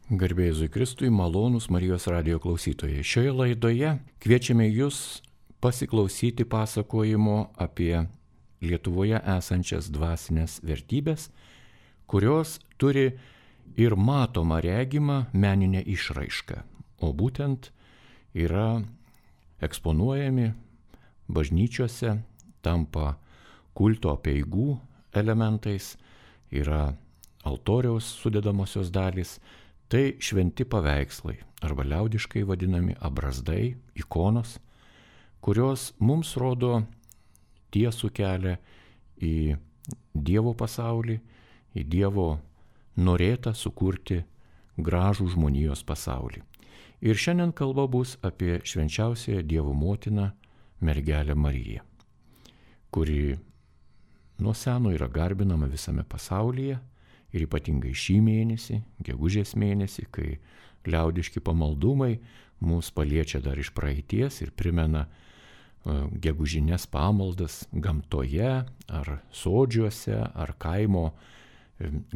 Garbė Jėzui Kristui, malonūs Marijos radijo klausytojai. Šioje laidoje kviečiame Jūs pasiklausyti pasakojimo apie Lietuvoje esančias dvasinės vertybės, kurios turi ir matomą regimą meninę išraišką, o būtent yra eksponuojami bažnyčiose, tampa kulto apeigų elementais, yra altoriaus sudedamosios dalys. Tai šventi paveikslai, arba liaudiškai vadinami abrazdai, ikonos, kurios mums rodo tiesų kelią į Dievo pasaulį, į Dievo norėtą sukurti gražų žmonijos pasaulį. Ir šiandien kalba bus apie švenčiausiąją Dievo motiną mergelę Mariją, kuri nuo seno yra garbinama visame pasaulyje. Ir ypatingai šį mėnesį, gegužės mėnesį, kai liaudiški pamaldumai mus paliečia dar iš praeities ir primena gegužinės pamaldas gamtoje, ar sodžiuose, ar kaimo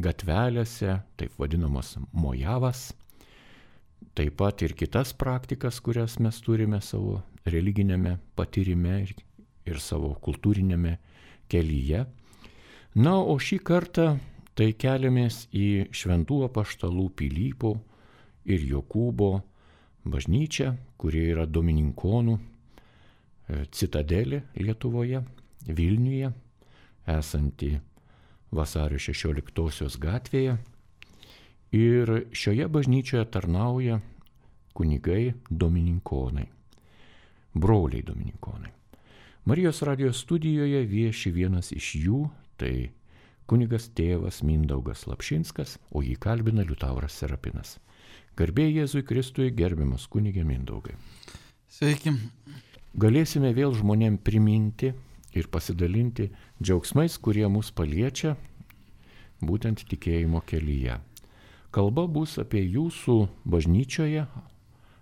gatvelėse, taip vadinamos mojavas. Taip pat ir kitas praktikas, kurias mes turime savo religinėme patyrime ir savo kultūrinėme kelyje. Na, o šį kartą tai keliamės į šventų apaštalų Pilypo ir Jokūbo bažnyčią, kuri yra domininkonų citadelė Lietuvoje, Vilniuje, esanti Vasario 16 gatvėje. Ir šioje bažnyčioje tarnauja kunigai domininkonai, broliai domininkonai. Marijos radijo studijoje vieši vienas iš jų, tai kunigas tėvas Mindaugas Lapšinskas, o jį kalbina Liutauras Serapinas. Garbė Jėzui Kristui, gerbiamas kunige Mindaugai. Sveiki. Galėsime vėl žmonėm priminti ir pasidalinti džiaugsmais, kurie mus paliečia būtent tikėjimo kelyje. Kalba bus apie jūsų bažnyčioje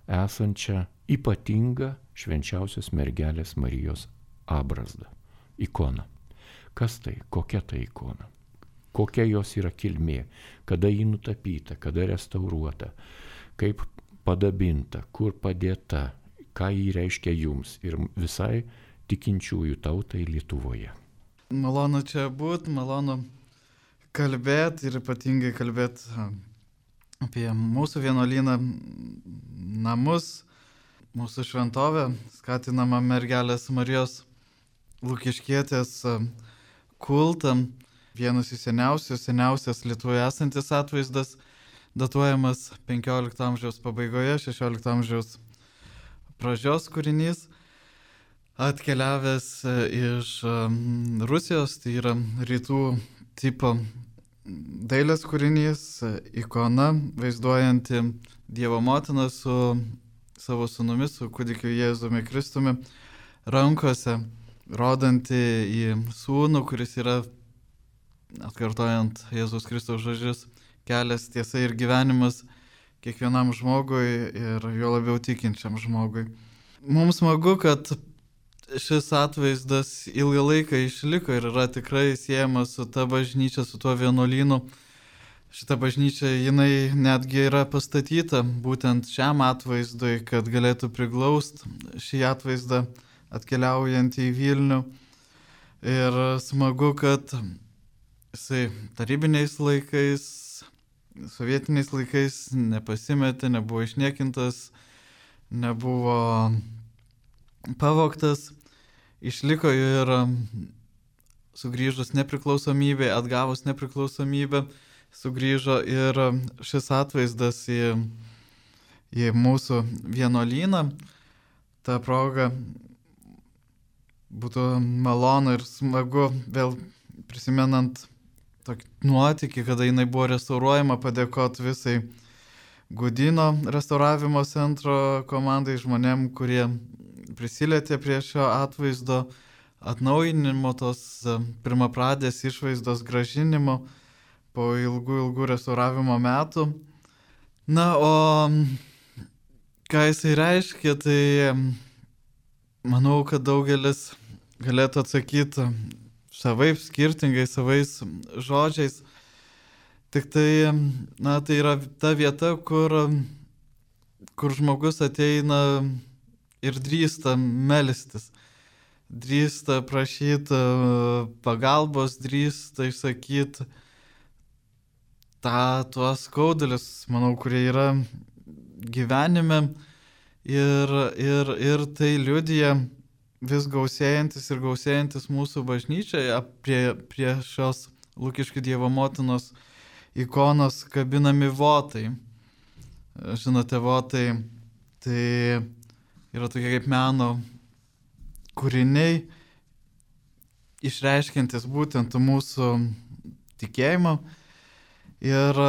esančią ypatingą švenčiausios mergelės Marijos abrazdą, ikoną. Kas tai? Kokia tai ikona? Kokia jos yra kilmė? Kada ji nutapyta? Kada restauruota? Kaip padabinta? Kur padėta? Ką ji reiškia jums ir visai tikinčiųjų tautai Lietuvoje? Malonu čia būt, malonu kalbėti ir ypatingai kalbėti apie mūsų vienuolyną, namus, mūsų šventovę, skatinama mergelės Marijos Lukiškietės kultam, vienas iš seniausias Lietuvoje esantis atvaizdas, datuojamas 15 amžiaus pabaigoje, 16 amžiaus pradžios kūrinys, atkeliavęs iš Rusijos, tai yra rytų tipo dailės kūrinys, ikona, vaizduojanti Dievo motiną su savo sūnumi, su kūdikiu Jėzumi Kristumi rankose, rodanti į sūnų, kuris yra, atkartojant Jėzus Kristaus žodžius, kelias, tiesa ir gyvenimas kiekvienam žmogui ir jo labiau tikinčiam žmogui. Mums smagu, kad šis atvaizdas ilgą laiką išliko ir yra tikrai siejamas su ta bažnyčia, su tuo vienuolynu. Šita bažnyčia, jinai netgi yra pastatyta būtent šiam atvaizdui, kad galėtų priglaust šį atvaizdą atkeliaujant į Vilnių. Ir smagu, kad jisai tarybiniais laikais, sovietiniais laikais nepasimetė, nebuvo išniekintas, nebuvo pavogtas, išliko ir sugrįžus nepriklausomybė, atgavus nepriklausomybę, sugrįžo ir šis atvaizdas į mūsų vienuolyną. Ta proga būtų malonu ir smagu vėl prisimenant tokį nuotykį, kada jinai buvo restauruojama, padėkoti visai Gudino restauravimo centro komandai, žmonėm, kurie prisilietė prie šio atvaizdo atnaujinimo, tos pirmapradės išvaizdos grąžinimo po ilgų restauravimo metų. Na, o ką jisai reiškia, tai manau, kad daugelis galėtų atsakyti savaip, skirtingai, savais žodžiais. Tik tai, tai yra ta vieta, kur žmogus ateina ir drįsta melstis, drįsta prašyti pagalbos, drįsta išsakyti tuos skaudulius, manau, kurie yra gyvenime ir tai liudija vis gausėjantis ir gausėjantis mūsų bažnyčioje prie šios Lukiškių Dievo motinos ikonos kabinami votai. Žinote, votai tai yra tokie kaip meno kūriniai, išreiškiantis būtent mūsų tikėjimą. Ir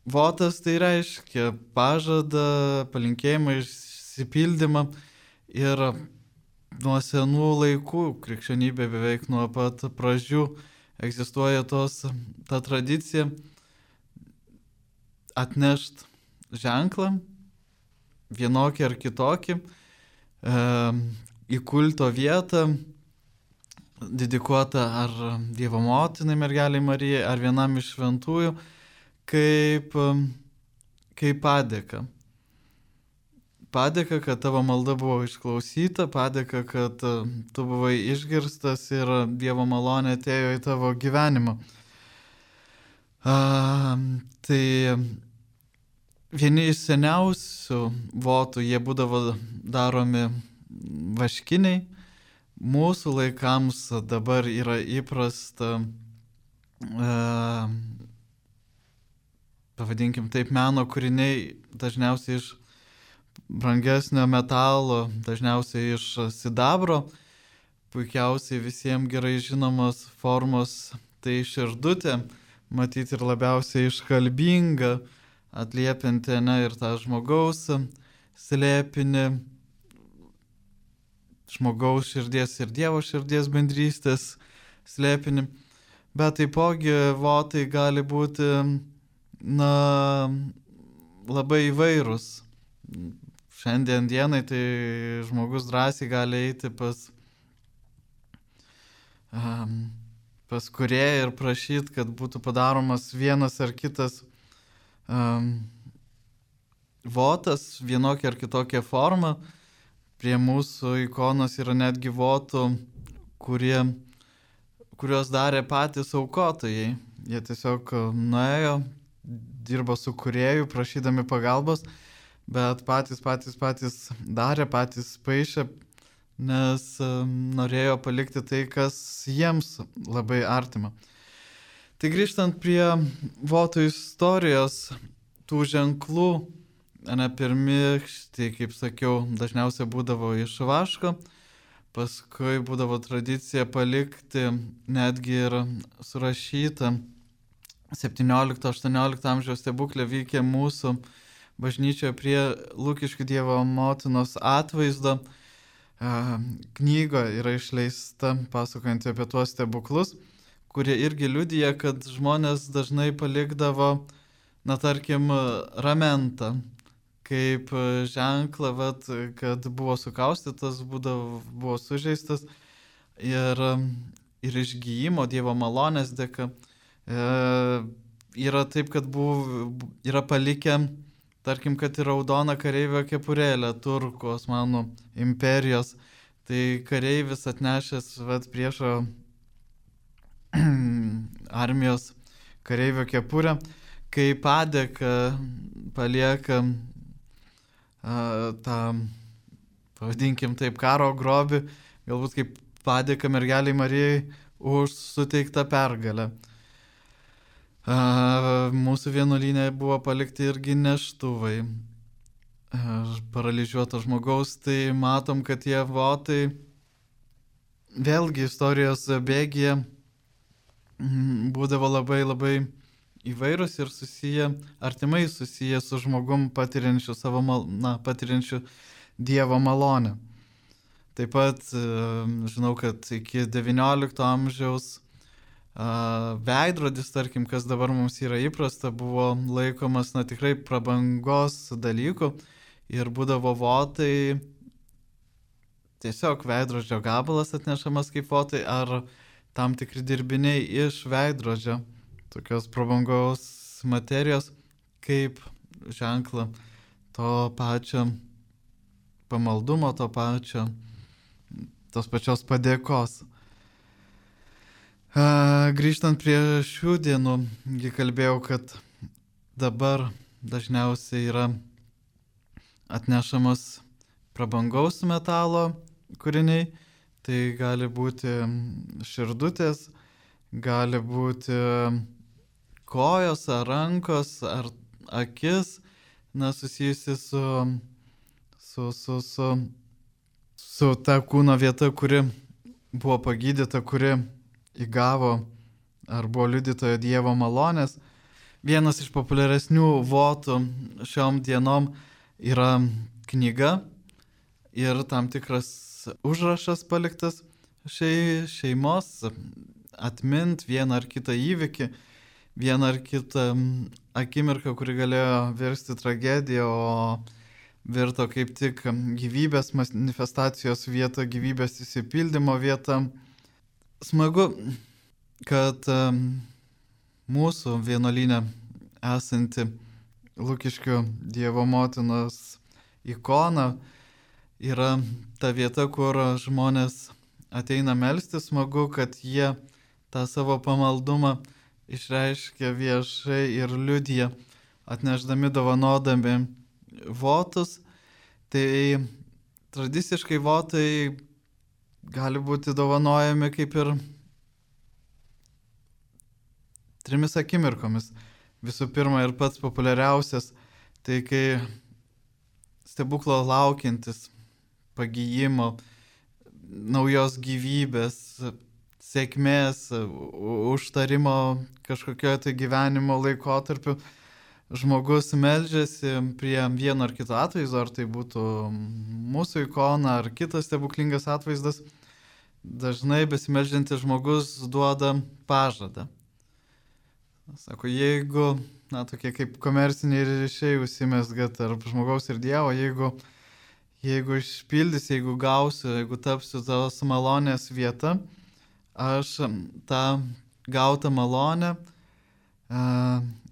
votas tai reiškia pažadą, palinkėjimą, išsipildymą. Ir nuo senų laikų krikščionybė beveik nuo pat pradžių egzistuoja ta tradicija atnešt ženklą, vienokį ar kitokį, į kulto vietą, dedikuotą ar Dievo motinai mergelei Marijai, ar vienam iš šventųjų, kaip padėka. Padėka, kad tavo malda buvo išklausyta, padėka, kad tu buvai išgirstas ir Dievo malonė atėjo į tavo gyvenimą. Tai vieni iš seniausių votų, jie būdavo daromi vaškiniai. Mūsų laikams dabar yra įprasta, pavadinkim taip, meno kūriniai, dažniausiai iš brangesnio metalo, dažniausiai iš sidabro, puikiausiai visiems gerai žinomos formos, tai širdutė, matyti ir labiausiai iškalbinga, atliepianti ir tą žmogaus slėpinį, žmogaus širdies ir Dievo širdies bendrystės slėpinį, bet taipogi votai gali būti labai įvairūs. Šiandien dienai tai žmogus drąsiai gali eiti pas kūrėją ir prašyti, kad būtų padaromas vienas ar kitas votas, vienokia ar kitokia forma. Prie mūsų ikonos yra netgi votų, kuriuos darė patys aukotojai. Jie tiesiog nuėjo, dirbo su kūrėju, prašydami pagalbos, bet patys darė, patys paišė, nes norėjo palikti tai, kas jiems labai artima. Tai grįžtant prie votų istorijos, tų ženklų, pirmykštį, kaip sakiau, dažniausiai būdavo iš vaško, paskui būdavo tradicija palikti netgi ir surašytą 17-18 amžiaus stebuklę vykę mūsų bažnyčioje prie Lukiškių Dievo motinos atvaizdo. Knyga yra išleista pasakojant apie tuos stebuklus, kurie irgi liudija, kad žmonės dažnai palikdavo, tarkim, ramentą, kaip ženklą, kad buvo sukaustytas, buvo sužeistas ir išgyjimo Dievo malonės dėka. Yra taip, kad yra palikę, tarkim, kad ir raudoną kareivio kepurėlę turkų Osmanų imperijos. Tai kareivis atnešęs priešo armijos kareivio kepurę, kai padėka palieka tą, pavadinkim taip, karo grobį, galbūt kaip padėka mergelei Marijai už suteiktą pergalę. Mūsų vienuolyne buvo palikti irgi neštuvai paralyžiuoto žmogaus, tai matom, kad tie votai vėlgi istorijos bėgyje būdavo labai labai įvairūs ir artimai susiję su žmogum patiriančiu patiriančiu Dievo malonę. Taip pat žinau, kad iki 19 amžiaus veidrodis, tarkim, kas dabar mums yra įprasta, buvo laikomas tikrai prabangos dalykų ir būdavo votai, tiesiog veidrodžio gabalas atnešamas kaip votai ar tam tikri dirbiniai iš veidrodžio. tokios prabangaus materijos, kaip ženklą to pačio pamaldumo, tos pačios padėkos. Grįžtant prie šių dienų, kalbėjau, kad dabar dažniausiai yra atnešamas prabangaus metalo kūriniai, tai gali būti širdutės, gali būti kojos ar rankos ar akis, susijusi su ta kūno vieta, kuri buvo pagydyta, kuri įgavo ar buvo liudytojo Dievo malonės. Vienas iš populiaresnių votų šiom dienom yra knyga ir tam tikras užrašas paliktas šeimos atmint vieną ar kitą įvykį, vieną ar kitą akimirką, kuri galėjo virsti tragediją, o virto kaip tik gyvybės manifestacijos vieta, gyvybės įsipildymo vieta. Smagu, kad mūsų vienuolyne esanti Lukiškių Dievo motinos ikona yra ta vieta, kur žmonės ateina melstis. Smagu, kad jie tą savo pamaldumą išreiškia viešai ir liudija, atnešdami, dovanodami votus. Tai tradiciškai votai gali būti dovanojami kaip ir 3 akimirkomis. Visų pirma ir pats populiariausias, tai kai stebuklo laukiantis, pagyjimo, naujos gyvybės, sėkmės, užtarimo kažkokio tai gyvenimo laikotarpiu žmogus meldžiasi prie vieno ar kito atvaizdo, ar tai būtų mūsų ikona ar kitas stebuklingas atvaizdas. Dažnai besimeldžiantis žmogus duoda pažadą. Sako, jeigu, tokie kaip komerciniai ryšiai užsimezga tarp žmogaus ir Dievo, jeigu išpildys, jeigu gausiu, jeigu tapsiu tos malonės vieta, aš tą gautą malonę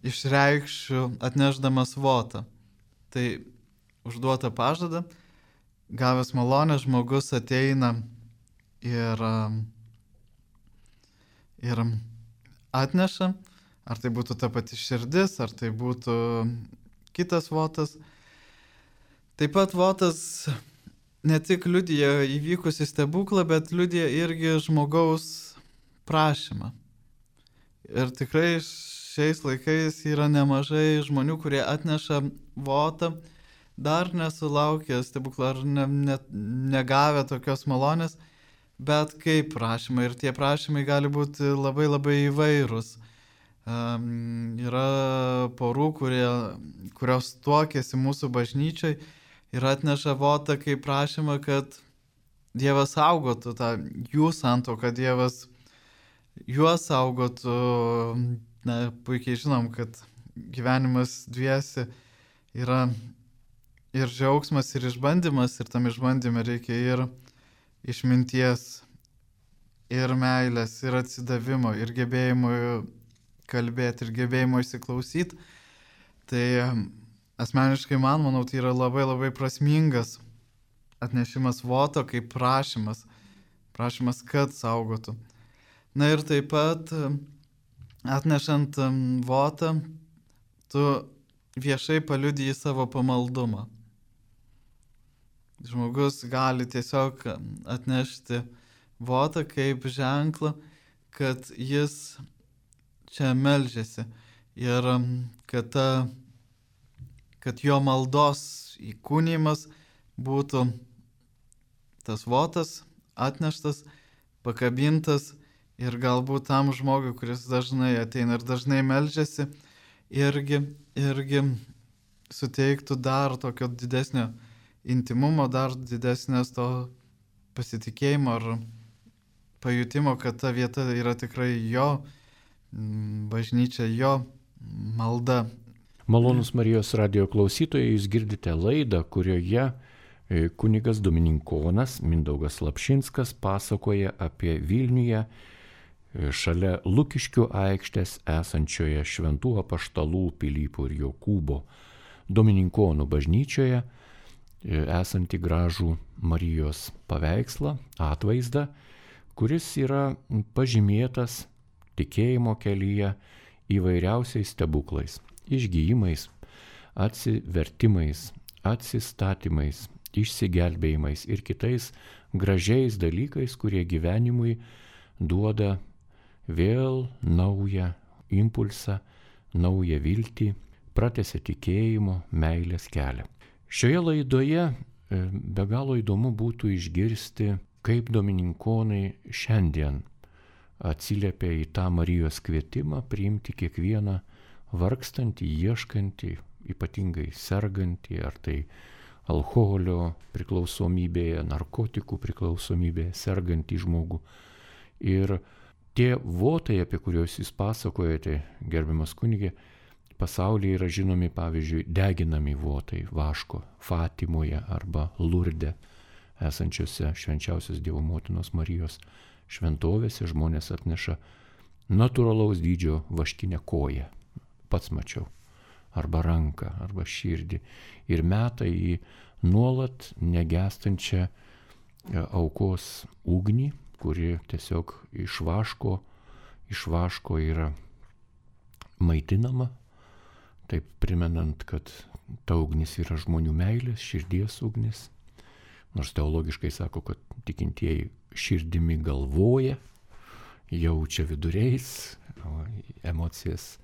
išreikšiu atnešdamas votą. Tai užduota pažada, gavęs malonę, žmogus ateina ir atneša. Ar tai būtų ta pati širdis, ar tai būtų kitas votas. Taip pat votas ne tik liudija įvykusį stebuklą, bet liudija irgi žmogaus prašymą. Ir tikrai šiais laikais yra nemažai žmonių, kurie atneša votą, dar nesulaukę stebuklą ar negavę tokios malonės, bet kaip prašymai. Ir tie prašymai gali būti labai labai įvairūs. Yra porų, kurios tuokėsi mūsų bažnyčiai ir atneša votą kaip prašymą, kad Dievas saugotų tą jų santuoką, Dievas juos saugotų. Puikiai žinom, kad gyvenimas dviesi yra ir džiaugsmas, ir išbandymas, ir tam išbandyme reikia ir išminties, ir meilės, ir atsidavimo, ir gebėjimo kalbėti, ir gebėjimo įsiklausyti. Tai asmeniškai manau, tai yra labai labai prasmingas atnešimas voto kaip prašymas, kad saugotų. Na ir taip pat atnešant votą, tu viešai paliudiji savo pamaldumą. Žmogus gali tiesiog atnešti votą kaip ženklą, kad jis čia meldžiasi ir kad jo maldos įkūnijimas būtų tas votas atneštas, pakabintas ir galbūt tam žmogui, kuris dažnai ateina ir dažnai meldžiasi, irgi suteiktų dar tokio didesnio intimumo, dar didesnės to pasitikėjimo ar pajutimo, kad ta vieta yra tikrai jo bažnyčia, jo malda. Malonūs Marijos radijo klausytojai, jūs girdite laidą, kurioje kunigas dominikonas Mindaugas Lapšinskas pasakoja apie Vilniuje šalia Lukiškių aikštės esančioje Šventų apaštalų Pilypo ir Jokūbo Domininkonų bažnyčioje esantį gražų Marijos paveikslą, atvaizdą, kuris yra pažymėtas tikėjimo kelyje įvairiausiais stebuklais, išgijimais, atsivertimais, atsistatymais, išsigelbėjimais ir kitais gražiais dalykais, kurie gyvenimui duoda vėl naują impulsą, naują viltį, pratęsia tikėjimo, meilės kelią. Šioje laidoje be galo įdomu būtų išgirsti, kaip domininkonai šiandien atsiliepia į tą Marijos kvietimą priimti kiekvieną vargstantį, ieškantį, ypatingai sergantį, ar tai alkoholio priklausomybėje, narkotikų priklausomybėje sergantį žmogų. Ir tie votai, apie kuriuos jūs pasakojate, gerbiamas kunigė, pasaulyje yra žinomi, pavyzdžiui, deginami votai vaško Fatimoje arba Lurde esančiose švenčiausios Dievo motinos Marijos šventovėse. Žmonės atneša natūralaus dydžio vaškinę koją, pats mačiau, arba ranką, arba širdį, ir meta į nuolat negęstančią aukos ugnį, kuri tiesiog iš vaško yra maitinama, taip primenant, kad ta ugnis yra žmonių meilės, širdies ugnis. Nors teologiškai sako, kad tikintieji širdimi galvoja, jaučia viduriais, emocijas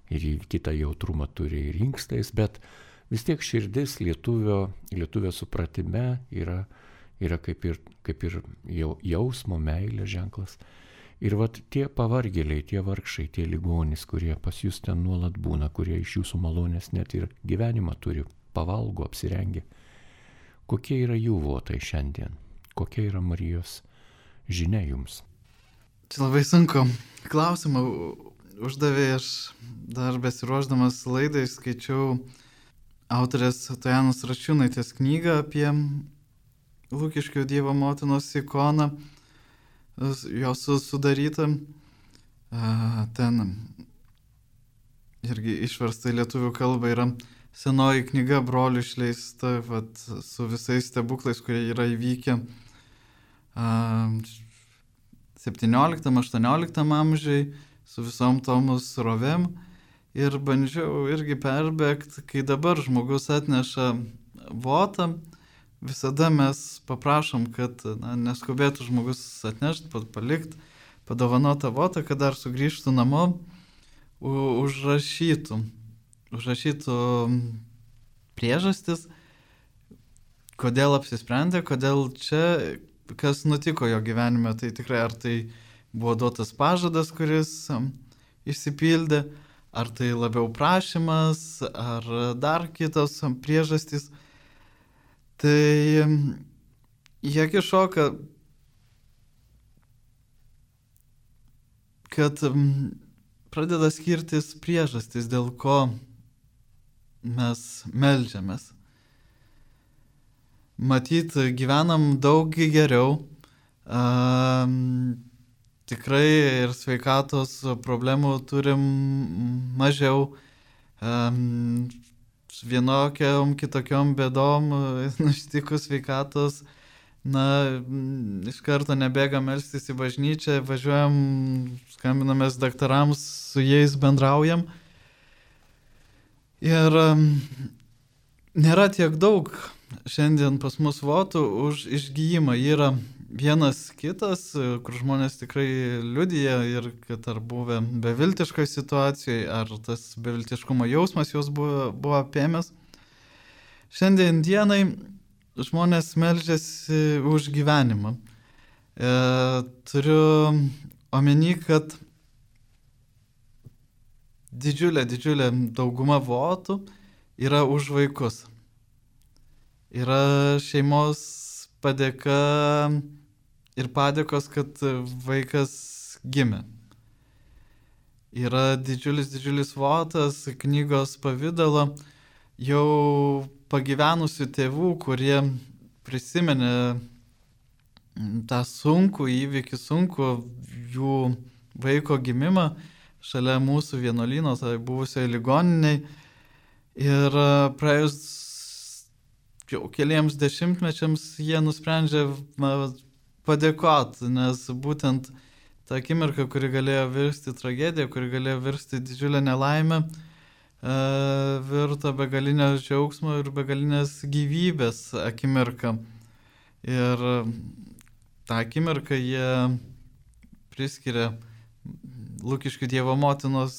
ir kitą jautrumą turi ir inkstais, bet vis tiek širdis lietuvio supratime yra kaip ir jausmo, meilės ženklas. Ir vat tie pavargėliai, tie vargšai, tie ligonys, kurie pas jūs ten nuolat būna, kurie iš jūsų malonės net ir gyvenimą turi, pavalgo, apsirengia. Kokie yra jų votai šiandien? Kokia yra Marijos žinia jums? Čia labai sunku klausimą uždavė. Aš dar besiruošdamas laidai skaičiau autorės Tojanos Račiūnaitės knygą apie Lukiškių Dievo motinos ikoną, jos sudaryta. Ten irgi išversta į lietuvių kalbą yra senoji knyga brolių išleista, su visais stebuklais, kurie yra įvykę 17-18 amžiai, su visom tomų srovėm. Ir bandžiau irgi perbėgti, kai dabar žmogus atneša votą, visada mes paprašom, kad neskubėtų žmogus atnešti, palikti padovanotą votą, kad dar sugrįžtų namo, užrašytų priežastis, kodėl apsisprendė, kodėl čia, kas nutiko jo gyvenime. Tai tikrai ar tai buvo duotas pažadas, kuris išsipildė, ar tai labiau prašymas, ar dar kitos priežastys. Tai jie kišoka, kad pradeda skirtis priežastys, dėl ko mes meldžiamės. Matyt, gyvenam daug geriau, tikrai ir sveikatos problemų turim mažiau, vienokiam kitokiom bėdom ištikus sveikatos, iš karto nebėgam melstis į bažnyčią, važiuojam, skambinamės daktarams, su jais bendraujam. Ir nėra tiek daug šiandien pas mus votų už išgijimą. Yra vienas kitas, kur žmonės tikrai liudija, ir kad ar buvę beviltiškoje situacijoje, ar tas beviltiškumo jausmas jos buvo apėmęs. Šiandien dienai žmonės meldžiasi už gyvenimą. Turiu omeny, kad didžiulė dauguma votų yra už vaikus. Yra šeimos padėka ir padėkos, kad vaikas gimė. Yra didžiulis votas knygos pavidalo jau pagyvenusių tėvų, kurie prisimenė tą sunkų įvykį, sunkų jų vaiko gimimą šalia mūsų vienuolyno, tai buvusioje ligoniniai. Ir praėjus jau keliems dešimtmečiams jie nusprendžia padėkoti, nes būtent ta akimirka, kuri galėjo virsti tragediją, kuri galėjo virsti didžiulę nelaimę, virto begalinio džiaugsmo ir begalinės gyvybės akimirka. Ir tą akimirką jie priskiria Lukiškių Dievo motinos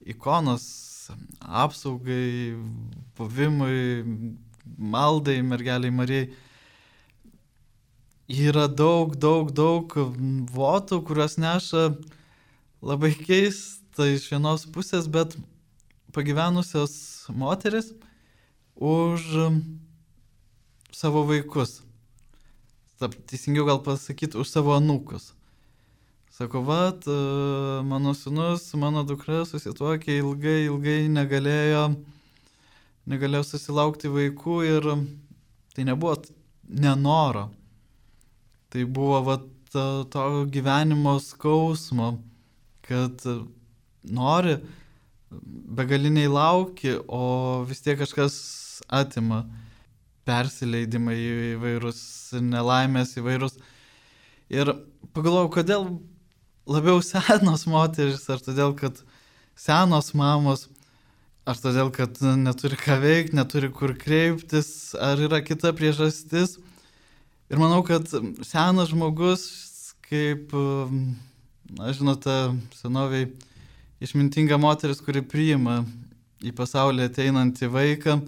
ikonos apsaugai, buvimui, maldai mergeliai Marijai. Yra daug votų, kurios neša labai keista iš vienos pusės, bet pagyvenusios moteris už savo vaikus. Teisingiau gal pasakyti, už savo anūkus. Sako, mano sūnus, mano dukra susituokė ilgai negalėjo susilaukti vaikų ir tai nebuvo nenoro. Tai buvo to gyvenimo skausmo, kad nori, begaliniai lauki, o vis tiek kažkas atima, persileidimai įvairūs, nelaimės įvairūs. Ir pagalvojau, kodėl labiau senos moteris, ar todėl, kad senos mamos, ar todėl, kad neturi ką veikti, neturi kur kreiptis, ar yra kita priežastis. Ir manau, kad senas žmogus, kaip, žinote, senoviai išmintinga moteris, kuri priima į pasaulį ateinantį vaiką,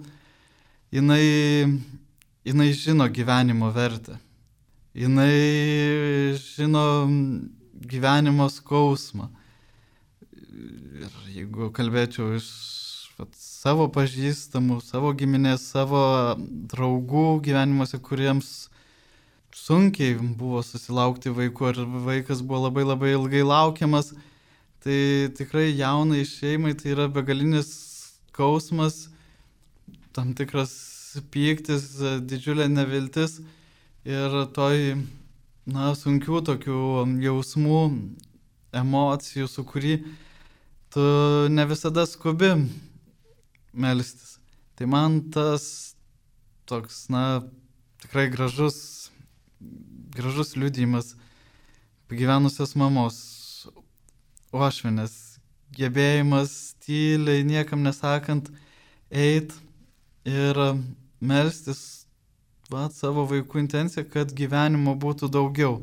jinai žino gyvenimo vertę. Jinai žino gyvenimo skausmą. Ir jeigu kalbėčiau iš savo pažįstamų, savo giminės, savo draugų gyvenimuose, kuriems sunkiai buvo susilaukti vaikų, ar vaikas buvo labai ilgai laukiamas, tai tikrai jaunai šeimai tai yra begalinis skausmas, tam tikras pyktis, didžiulė neviltis ir toj, sunkių tokių jausmų, emocijų, su kurį tu ne visada skubi melstis. Tai man tas toks, tikrai gražus liudijimas pagyvenusios mamos uošvienės, gebėjimas tyliai, niekam nesakant, eit ir melstis savo vaikų intenciją, kad gyvenimo būtų daugiau.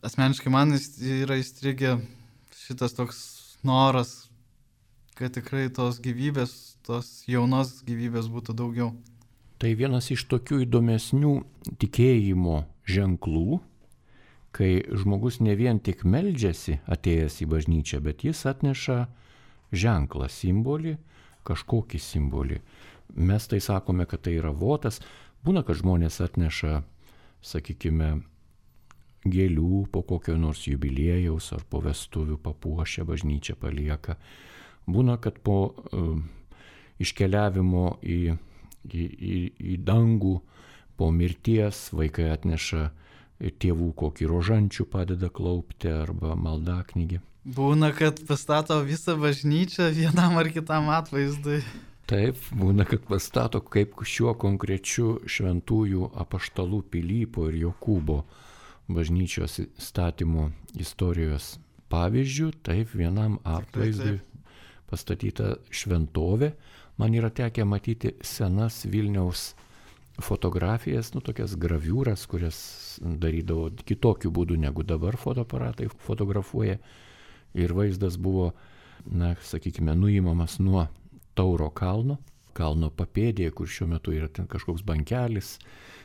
Asmeniškai man yra įstrigę šitas toks noras, kad tikrai tos gyvybės, tos jaunos gyvybės būtų daugiau. Tai vienas iš tokių įdomesnių tikėjimo ženklų, kai žmogus ne vien tik meldžiasi atėjęs į bažnyčią, bet jis atneša ženklą, simbolį, kažkokį simbolį. Mes tai sakome, kad tai yra votas. Būna, kad žmonės atneša, sakykime, gėlių po kokio nors jubiliejaus ar po vestuvių papuošę bažnyčią palieka. Būna, kad po iškeliavimo į dangų, po mirties vaikai atneša tėvų kokį rožančių padeda klaupti arba maldaknygį. Būna, kad pastato visą bažnyčią vienam ar kitam atvaizdui. Taip, būna, kad pastato kaip šiuo konkrečiu šventųjų apaštalų Pilypo ir Jokūbo bažnyčios statymo istorijos pavyzdžių, taip vienam atvaizdui pastatyta šventovė. Man yra tekę matyti senas Vilniaus fotografijas, tokias graviūras, kurias darydavo kitokiu būdu negu dabar fotoaparatai fotografuoja. Ir vaizdas buvo, sakykime, nuimamas nuo Tauro kalno papėdėje, kur šiuo metu yra ten kažkoks bankelis,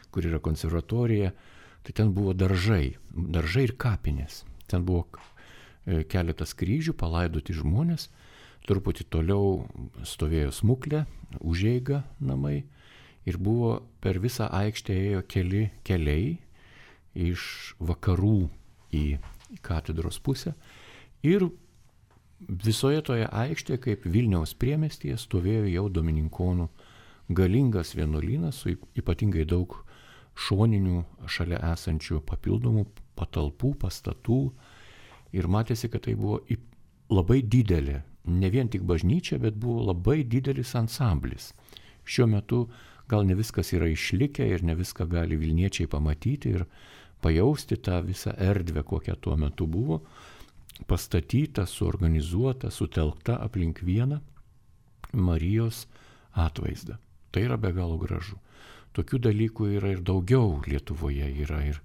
kur yra konservatorija. Tai ten buvo daržai ir kapinės. Ten buvo keletas kryžių, palaidoti žmonės. Truputį toliau stovėjo smuklė, užeiga namai. Ir buvo per visą aikštę ėjo keli keliai iš vakarų į katedros pusę. Ir visoje toje aikštėje, kaip Vilniaus priemestyje, stovėjo jau domininkonų galingas vienuolynas su ypatingai daug šoninių šalia esančių papildomų patalpų, pastatų. ir matėsi, kad tai buvo labai didelė, ne vien tik bažnyčia, bet buvo labai didelis ansamblis. Šiuo metu gal ne viskas yra išlikę ir ne viską gali Vilniečiai pamatyti ir pajausti tą visą erdvę, kokia tuo metu buvo, pastatyta, suorganizuota, sutelkta aplink vieną Marijos atvaizdą. Tai yra be galo gražu. Tokių dalykų yra ir daugiau Lietuvoje, yra ir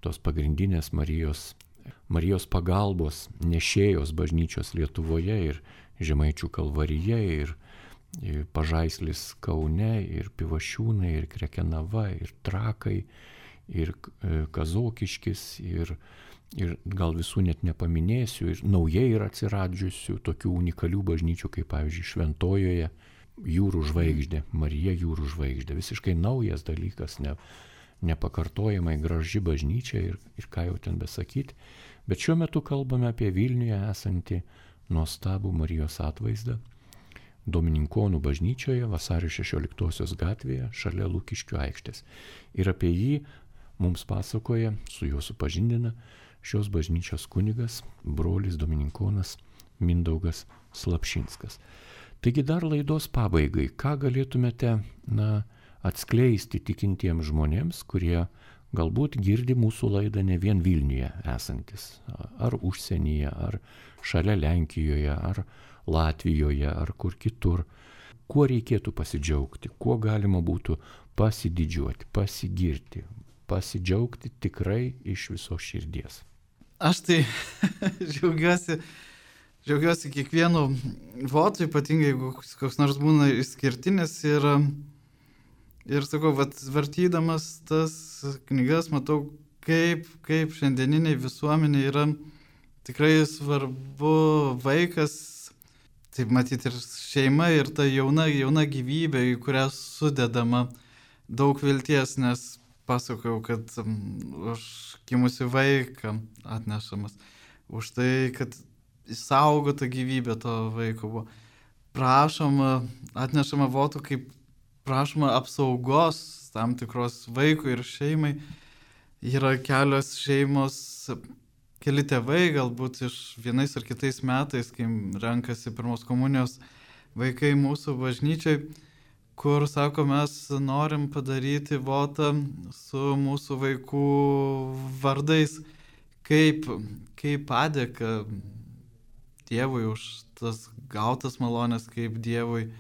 tos pagrindinės Marijos pagalbos nešėjos bažnyčios Lietuvoje ir Žemaičių Kalvarija ir Pažaislis Kaune ir Pivašiūnai ir Krekenava ir Trakai ir Kazokiškis ir gal visų net nepaminėsiu, ir naujai yra atsiradžiusių tokių unikalių bažnyčių, kaip pavyzdžiui Šventojoje Jūrų žvaigždė, Marija Jūrų žvaigždė, visiškai naujas dalykas, nepakartojamai graži bažnyčia ir ką jau ten besakyti, bet šiuo metu kalbame apie Vilniuje esantį nuostabų Marijos atvaizdą Domininkonų bažnyčioje Vasario 16 gatvėje šalia Lukiškių aikštės. Ir apie jį mums pasakoja, su juo supažindina šios bažnyčios kunigas, brolis Domininkonas Mindaugas Slapšinskas. Taigi dar laidos pabaigai, ką galėtumėte atskleisti tikintiems žmonėms, kurie galbūt girdi mūsų laidą ne vien Vilniuje esantis, ar užsienyje, ar šalia Lenkijoje, ar Latvijoje, ar kur kitur. Kuo reikėtų pasidžiaugti, kuo galima būtų pasididžiuoti, pasigirti, pasidžiaugti tikrai iš viso širdies. Aš tai džiaugiuosi kiekvienu votu, ypatingai jeigu koks nors būna išskirtinis ir sakau, vartydamas tas knygas matau, kaip šiandieniniai visuomeniai yra tikrai svarbu vaikas, taip matyti ir šeima, ir ta jauna gyvybė, į kurią sudedama daug vilties, nes pasakojau, kad už gimusi vaiką atnešamas, už tai, kad išsaugota gyvybė to vaiko buvo. Prašoma, atnešama votų, kaip prašoma apsaugos tam tikros vaikui ir šeimai. Yra kelios šeimos, keli tėvai galbūt iš vienais ar kitais metais, kai renkasi pirmos komunijos vaikai mūsų bažnyčiai, kur sako, mes norim padaryti votą su mūsų vaikų vardais, kaip padėka Dievui už tas gautas malonės, kaip Dievui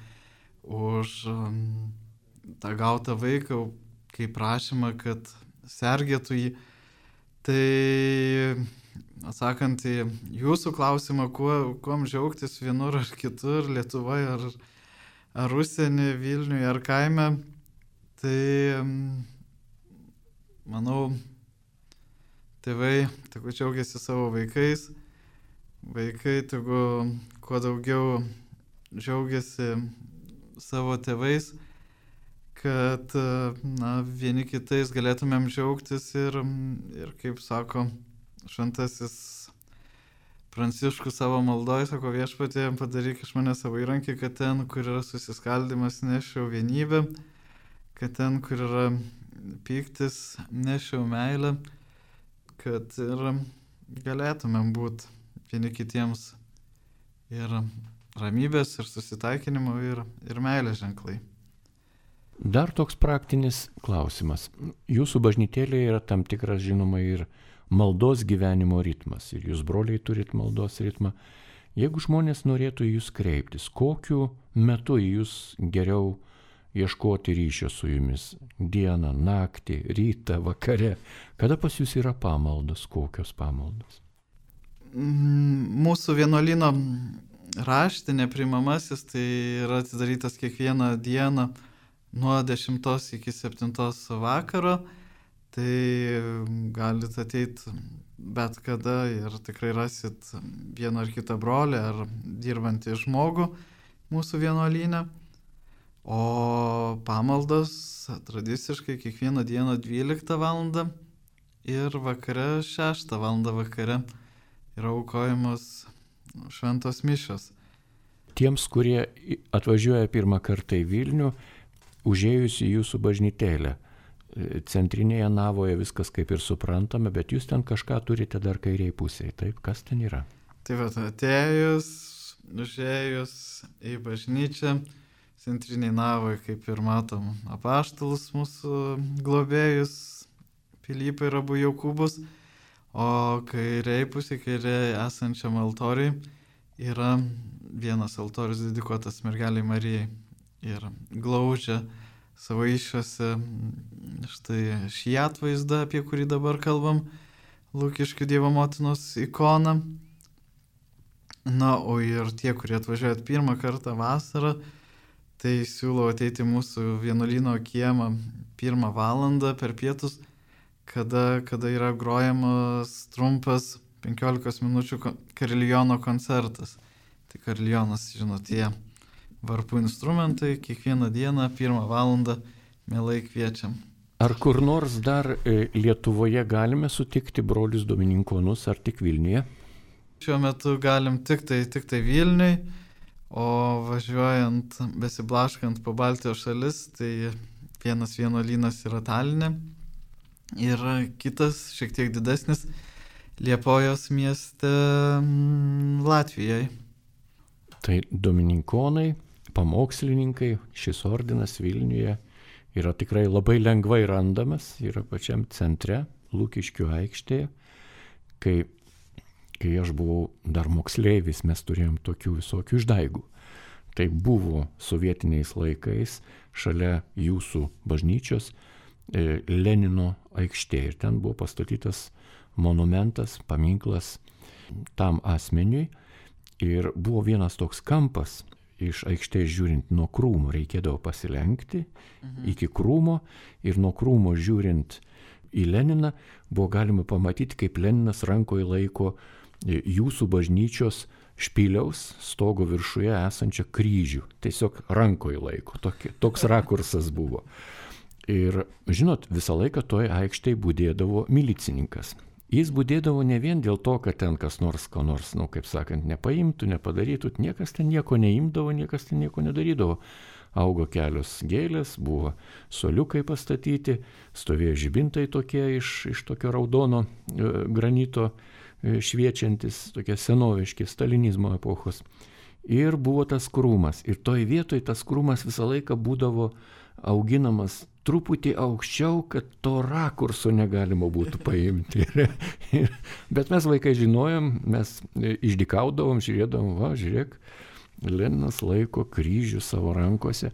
už tą gautą vaiką, kaip prašymą, kad sergėtų jį. Tai atsakant į jūsų klausimą, kuom džiaugtis vienur ar kitur, Lietuvoje ar užsienį, Vilniuje ar kaime, tai manau, tėvai tegu džiaugiasi savo vaikais, vaikai tegu kuo daugiau džiaugiasi savo tėvais, kad vieni kitais galėtumėm džiaugtis ir kaip sako šventasis Pranciškus savo maldoje, sako, Viešpatie, padaryk iš mane savo įrankį, kad ten, kur yra susiskaldimas, nešiau vienybę, kad ten, kur yra pyktis, nešiau meilę, kad ir galėtumėm būti vieni kitiems ir ramybės, ir susitaikinimo, ir meilės ženklai. Dar toks praktinis klausimas. Jūsų bažnytėlėje yra tam tikras, žinoma, ir maldos gyvenimo ritmas. Ir jūs, broliai, turit maldos ritmą. Jeigu žmonės norėtų į jūs kreiptis, kokiu metu jūs geriau ieškoti ryšio su jumis? Dieną, naktį, rytą, vakare. Kada pas jūs yra pamaldos? Kokios pamaldos? Mūsų vienuolyno raštinė priimamasis tai yra atidarytas kiekvieną dieną nuo 10 iki 7 vakaro, tai galite ateiti bet kada ir tikrai rasit vieną ar kitą brolį ar dirbantį žmogų mūsų vienuolyne. O pamaldos tradiciškai kiekvieną dieną 12 val. Ir vakare 6 val. Vakare yra aukojamos šventos mišios. Tiems, kurie atvažiuoja pirmą kartą į Vilnių, užėjus į jūsų bažnytėlę, centrinėje navoje viskas kaip ir suprantame, bet jūs ten kažką turite dar kairiai pusėje, taip? Kas ten yra? Tai va, atėjus, užėjus į bažnyčią, centriniai navoje, kaip ir matom, apaštalus mūsų globėjus, Pilypą ir abu Jokūbus, o kairiai pusėje, kairiai esančiam altoriui, yra vienas altorius dedikuotas mergeliai Marijai ir glaudžia savo iššiose štai šį atvaizdą, apie kurį dabar kalbam, Lukiškių Dievo motinos ikoną. Na, o ir tie, kurie atvažiuojat pirmą kartą vasarą, tai siūlau ateiti mūsų vienuolyno kiemą 1 valandą per pietus, kada yra grojamas trumpas 15 minučių kariliono koncertas. Tai karilionas, žinot, tie varpų instrumentai, kiekvieną dieną 1 valandą mielai kviečiam. Ar kur nors dar Lietuvoje galime sutikti brolius domininkonus, ar tik Vilniuje? Šiuo metu galim tik tai Vilniui, o važiuojant, besiblaškant po Baltijos šalis, tai vienas vienuolynas yra Taline ir kitas, šiek tiek didesnis, Liepojos mieste Latvijoje. Tai domininkonai, pamokslininkai, šis ordinas Vilniuje yra tikrai labai lengvai randamas, yra pačiam centre, Lukiškių aikštėje. Kai aš buvau dar moksleivis, mes turėjom tokių visokių išdaigų. Tai buvo sovietiniais laikais šalia jūsų bažnyčios Lenino aikštė. Ir ten buvo pastatytas monumentas, paminklas tam asmeniui. Ir buvo vienas toks kampas, iš aikštės žiūrint nuo krūmo reikėdavo pasilenkti iki krūmo ir nuo krūmo žiūrint į Leniną buvo galima pamatyti, kaip Leninas rankoje laiko jūsų bažnyčios špiliaus stogo viršuje esančią kryžių. Tiesiog rankoje laiko. Toks rakursas buvo. Ir žinot, visą laiką toje aikštėje būdėdavo milicininkas. Jis būdėdavo ne vien dėl to, kad ten kas nors, kaip sakant, nepaimtų, nepadarytų, niekas ten nieko neimdavo, niekas ten nieko nedarydavo. Augo kelios gėlės, buvo suoliukai pastatyti, stovėjo žibintai tokie iš tokio raudono granito šviečiantis, tokie senoviški stalinizmo epochos. Ir buvo tas krūmas. Ir toj vietoj tas krūmas visą laiką būdavo auginamas truputį aukščiau, kad to rakurso negalima būtų paimti. Bet mes vaikai žinojom, mes išdykaudavom, žiūrėdavom, va, žiūrėk, Leninas laiko kryžių savo rankose.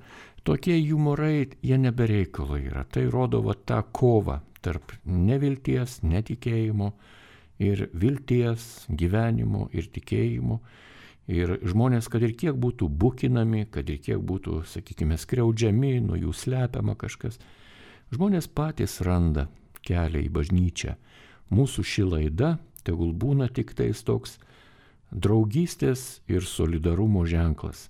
Tokie jumorai, jie nebereikalo yra. Tai rodo va tą kovą tarp nevilties, netikėjimo ir vilties, gyvenimo ir tikėjimo. Ir žmonės, kad ir kiek būtų bukinami, kad ir kiek būtų, sakykime, skriaudžiami, nuo jų slepiama kažkas, žmonės patys randa kelią į bažnyčią. Mūsų ši laida tegul būna tik tais toks draugystės ir solidarumo ženklas.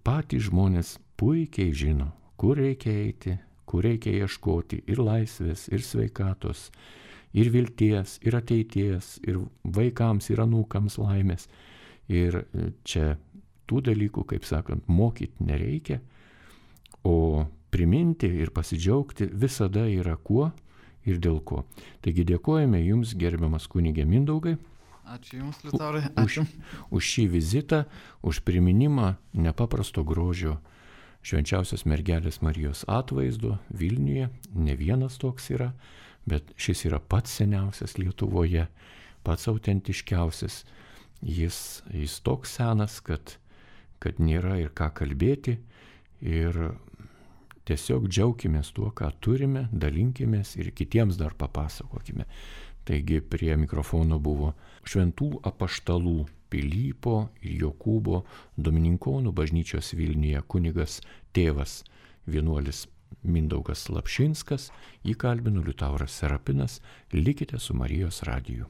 Patys žmonės puikiai žino, kur reikia eiti, kur reikia ieškoti ir laisvės, ir sveikatos, ir vilties, ir ateities, ir vaikams, ir anūkams laimės. Ir čia tų dalykų, kaip sakant, mokyti nereikia, o priminti ir pasidžiaugti visada yra kuo ir dėl ko. Taigi dėkojame Jums, gerbiamas kunige Mindaugai. Ačiū Jums, Liutaurai. Ačiū. Už šį vizitą, už priminimą nepaprasto grožio švenčiausios mergelės Marijos atvaizdo Vilniuje. Ne vienas toks yra, bet šis yra pats seniausias Lietuvoje, pats autentiškiausias. Jis toks senas, kad nėra ir ką kalbėti ir tiesiog džiaukimės tuo, ką turime, dalinkimės ir kitiems dar papasakokime. Taigi prie mikrofono buvo šventų apaštalų Pilypo ir Jokūbo domininkonų bažnyčios Vilniuje kunigas tėvas vienuolis Mindaugas Slapšinskas, jį kalbino Liutauras Serapinas. Likite su Marijos radiju.